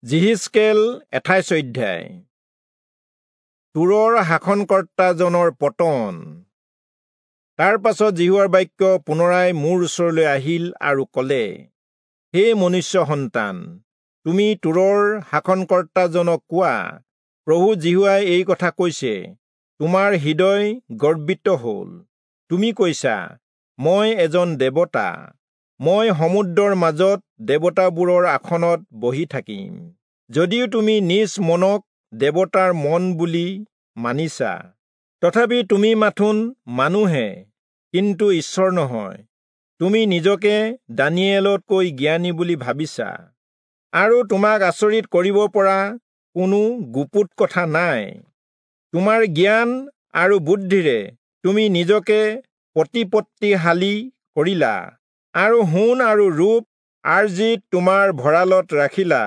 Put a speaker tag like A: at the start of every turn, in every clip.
A: যিহিষ্কেল 28 অধ্যায়। তুৰৰ শাসনকৰ্তাজনৰ পতন। তাৰ পাছত যিহোৱাৰ বাক্য পুনৰাই মোৰ ওচৰলৈ আহিল আৰু ক'লে, হে মনুষ্য সন্তান, তুমি তুৰৰ শাসনকৰ্তাজনক কোৱা, প্ৰভু যিহোৱাই এই কথা কৈছে, তোমাৰ হৃদয় গৰ্বিত হ'ল। তুমি কৈছা, মই এজন দেৱতা, মই সমুদ্ৰৰ মাজত দেৱতাবোৰৰ আসনত বহি থাকিম। যদিও তুমি নিজ মনক দেৱতাৰ মন বুলি মানিছা, তথাপি তুমি মাথোন মানুহে, কিন্তু ঈশ্বৰ নহয়। তুমি নিজকে দানিয়েলতকৈ জ্ঞানী বুলি ভাবিছা, আৰু তোমাক আচৰিত কৰিব পৰা কোনো গুপুত কথা নাই। তোমাৰ জ্ঞান আৰু বুদ্ধিৰে তুমি নিজকে প্ৰতিপত্তিশালী কৰিলা, আৰু সোণ আৰু ৰূপ আৰ্জিত তোমাৰ ভঁৰালত ৰাখিলা।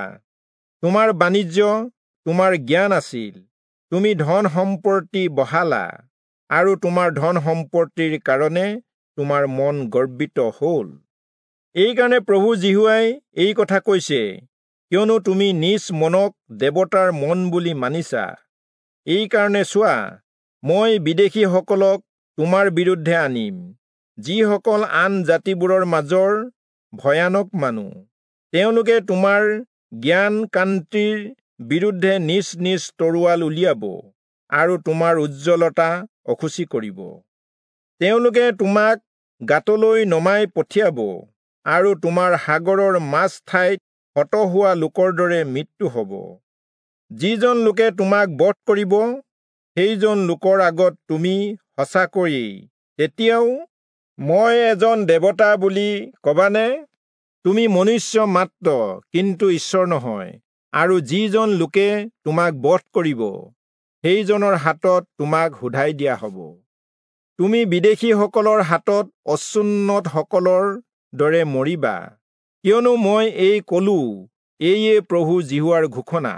A: তোমাৰ বাণিজ্য তোমাৰ জ্ঞান আছিল, তুমি ধন সম্পত্তি বঢ়ালা, আৰু তোমাৰ ধন সম্পত্তিৰ কাৰণে তোমাৰ মন গৰ্বিত হ'ল। এইকাৰণে প্ৰভু যিহোৱাই এই কথা কৈছে, কিয়নো তুমি নিজ মনক দেৱতাৰ মন বুলি মানিছা, এইকাৰণে চোৱা, মই বিদেশীসকলক তোমাৰ বিৰুদ্ধে আনিম, যিসকল আন জাতিবোৰৰ মাজৰ ভয়ানক মানুহ। তেওঁলোকে তোমাৰ জ্ঞান কান্তিৰ বিৰুদ্ধে নিজ নিজ তৰোৱাল উলিয়াব আৰু তোমাৰ উজ্জ্বলতা অসুচি কৰিব। তেওঁলোকে তোমাক গাঁতলৈ নমাই পঠিয়াব, আৰু তোমাৰ সাগৰৰ মাজ ঠাইত হত হোৱা লোকৰ দৰে মৃত্যু হ'ব। যিজন লোকে তোমাক বধ কৰিব, সেইজন লোকৰ আগত তুমি সঁচাকৈয়ে তেতিয়াও মই এজন দেৱতা বুলি কবানে? তুমি মনুষ্য মাত্ৰ, কিন্তু ঈশ্বৰ নহয়, আৰু যিজন লোকে তোমাক বধ কৰিব, সেইজনৰ হাতত তোমাক সোধাই দিয়া হ'ব। তুমি বিদেশীসকলৰ হাতত অচুন্নতসকলৰ দৰে মৰিবা, কিয়নো মই এই কলো, এইয়ে প্ৰভু যিহোৱাৰ ঘোষণা।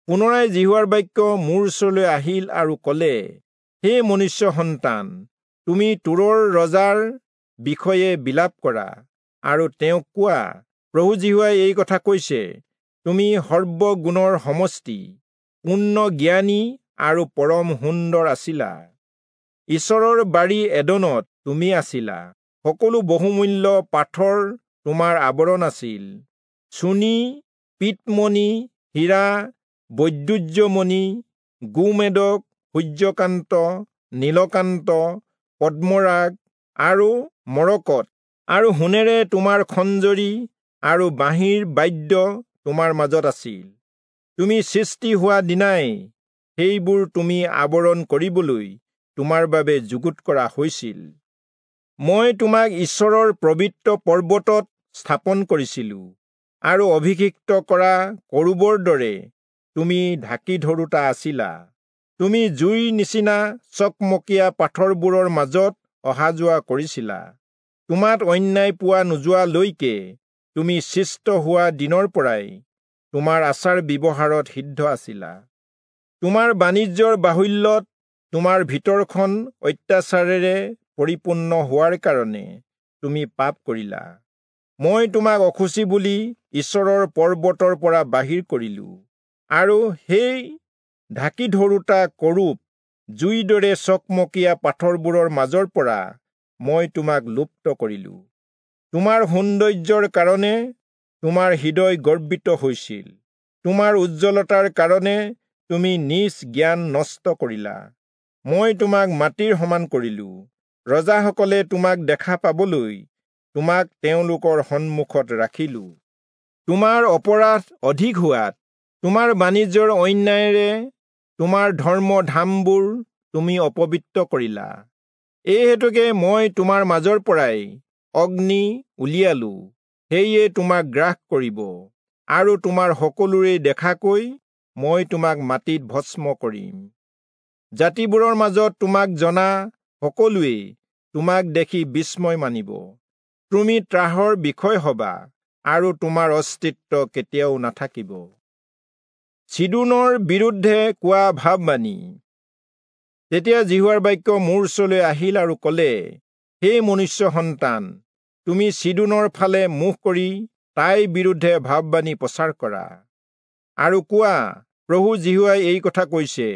A: পুনৰাই যিহোৱাৰ বাক্য মোৰ ওচৰলৈ আহিল আৰু ক'লে, হে মনুষ্য সন্তান, তুমি তুৰৰ ৰজাৰ বিষয়ে বিলাপ কৰা, আৰু তেওঁক কোৱা, প্ৰভু যিহোৱাই এই কথা কৈছে, তুমি সৰ্বগুণৰ সমষ্টি, পূৰ্ণ জ্ঞানী আৰু পৰম সুন্দৰ আছিলা। ঈশ্বৰৰ বাৰী এদনত তুমি আছিলা, সকলো বহুমূল্য পাথৰ তোমাৰ আৱৰণ আছিল, চুনি, পিতমণি, হীৰা, বৈদুৰ্যমণি, গোমেদক, সূৰ্যকান্ত, নীলকান্ত, পদ্মৰাগ আৰু মৰকত, আৰু সোণেৰে তোমাৰ খঞ্জৰি আৰু বাঁহীৰ বাদ্য তোমাৰ মাজত আছিল। তুমি সৃষ্টি হোৱা দিনাই সেইবোৰ তুমি আৱৰণ কৰিবলৈ তোমাৰ বাবে যুগুত কৰা হৈছিল। মই তোমাক ঈশ্বৰৰ পবিত্ৰ পৰ্বতত স্থাপন কৰিছিলো, আৰু অভিষিক্ত কৰা কৰূবৰ দৰে তুমি ঢাকি ধৰোঁতা আছিলা। তুমি জুইৰ নিচিনা চকমকীয়া পাথৰবোৰৰ মাজত অহা যোৱা কৰিছিলা। তোমাত অন্যায় পোৱা নোযোৱালৈকে তুমি সৃষ্ট হোৱা দিনৰ পৰাই তোমাৰ আচাৰ ব্যৱহাৰত সিদ্ধ আছিলা। তোমাৰ বাণিজ্যৰ বাহুল্যত তোমাৰ ভিতৰখন অত্যাচাৰেৰে পৰিপূৰ্ণ হোৱাৰ কাৰণে তুমি পাপ কৰিলা। মই তোমাক অসুচি বুলি ঈশ্বৰৰ পৰ্বতৰ পৰা বাহিৰ কৰিলো, আৰু সেই ঢাকি ধৰোঁতা কৰূপ জুইৰ দৰে চকমকীয়া পাথৰবোৰৰ মাজৰ পৰা মই তোমাক লুপ্ত কৰিলো। তোমাৰ সৌন্দৰ্যৰ কাৰণে তোমাৰ হৃদয় গৰ্বিত হৈছিল, তোমাৰ উজ্জ্বলতাৰ কাৰণে তুমি নিজ জ্ঞান নষ্ট কৰিলা। মই তোমাক মাটিৰ সমান কৰিলো, ৰজাসকলে তোমাক দেখা পাবলৈ তোমাক তেওঁলোকৰ সন্মুখত ৰাখিলো। তোমাৰ অপৰাধ অধিক হোৱাত তোমাৰ বাণিজ্যৰ অন্যায়েৰে তোমাৰ ধৰ্ম ধামবোৰ তুমি অপবিত্ৰ কৰিলা। এই হেতুকে মই তোমাৰ মাজৰ পৰাই অগ্নি উলিয়ালো, সেয়ে তোমাক গ্ৰাস কৰিব, আৰু তোমাৰ সকলোৰে দেখাকৈ মই তোমাক মাটিত ভস্ম কৰিম। জাতিবোৰৰ মাজত তোমাক জনা সকলোৱেই তোমাক দেখি বিস্ময় মানিব। তুমি ত্ৰাসৰ বিষয় হবা, আৰু তোমাৰ অস্তিত্ব কেতিয়াও নাথাকিব। চিদোনৰ বিৰুদ্ধে কোৱা ভাববাণী। তেতিয়া যিহোৱাৰ বাক্য মোৰ ওচৰলৈ আহিল আৰু ক'লে, হে মনুষ্য সন্তান, তুমি চিদোনৰ ফালে মুখ কৰি তাইৰ বিৰুদ্ধে ভাববাণী প্ৰচাৰ কৰা। আৰু কোৱা, প্ৰভু যিহোৱাই এই কথা কৈছে,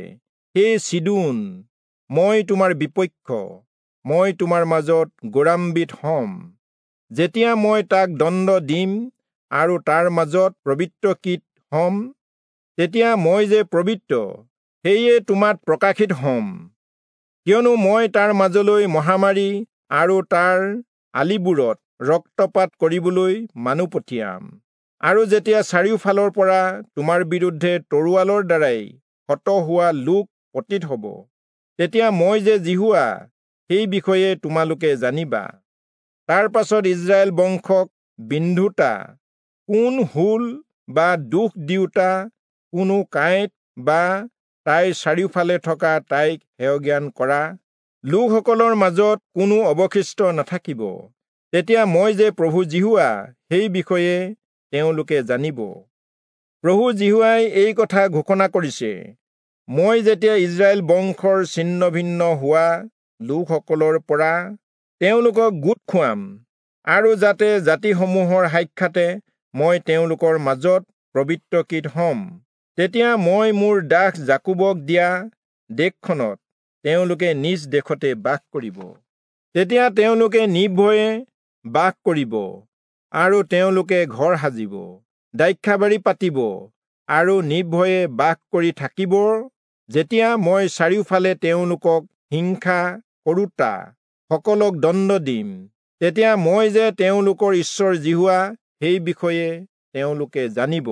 A: হে চিদোন, মই তোমাৰ বিপক্ষ, মই তোমাৰ মাজত গৌৰৱান্বিত হ'ম। যেতিয়া মই তাক দণ্ড দিম আৰু তাৰ মাজত পবিত্ৰকৃত হ'ম, তেতিয়া মই যে পবিত্ৰ, সেয়ে তোমাত প্ৰকাশিত হ'ম। কিয়নো মই তাৰ মাজলৈ মহামাৰী আৰু তাৰ আলিবোৰত ৰক্তপাত কৰিবলৈ মানুহ পঠিয়াম। আৰু যেতিয়া চাৰিওফালৰ পৰা তোমাৰ বিৰুদ্ধে তৰোৱালৰ দ্বাৰাই হত হোৱা লোক পতিত হ'ব, তেতিয়া মই যে যিহোৱা, সেই বিষয়ে তোমালোকে জানিবা। তাৰ পাছত ইস্ৰায়েল বংশক বিন্ধোতা কোন হুল বা দুখ দিওঁতা কোনো কাঁইট বা তাইৰ চাৰিওফালে থকা তাইক হেয়জ্ঞান কৰা লোকসকলৰ মাজত কোনো অৱশিষ্ট নাথাকিব। তেতিয়া মই যে প্ৰভু যিহোৱা, সেই বিষয়ে তেওঁলোকে জানিব। প্ৰভু যিহোৱাই এই কথা ঘোষণা কৰিছে, মই যেতিয়া ইস্ৰায়েল বংশৰ ছিন্ন ভিন্ন হোৱা লোকসকলৰ পৰা তেওঁলোকক গোট খুৱাম, আৰু যাতে জাতিসমূহৰ সাক্ষাতে মই তেওঁলোকৰ মাজত পবিত্ৰকৃত হ'ম, তেতিয়া মই মোৰ দাস যাকোবক দিয়া দেশখনত তেওঁলোকে নিজ দেশতে বাস কৰিব। তেতিয়া তেওঁলোকে নিৰ্ভয়ে বাস কৰিব, আৰু তেওঁলোকে ঘৰ সাজিব, দ্ৰাক্ষাবাৰী পাতিব, আৰু নিৰ্ভয়ে বাস কৰি থাকিব। যেতিয়া মই চাৰিওফালে তেওঁলোকক হিংসা কৰোঁতা সকলক দণ্ড দিম, তেতিয়া মই যে তেওঁলোকৰ ঈশ্বৰ যিহোৱা, সেই বিষয়ে তেওঁলোকে জানিব।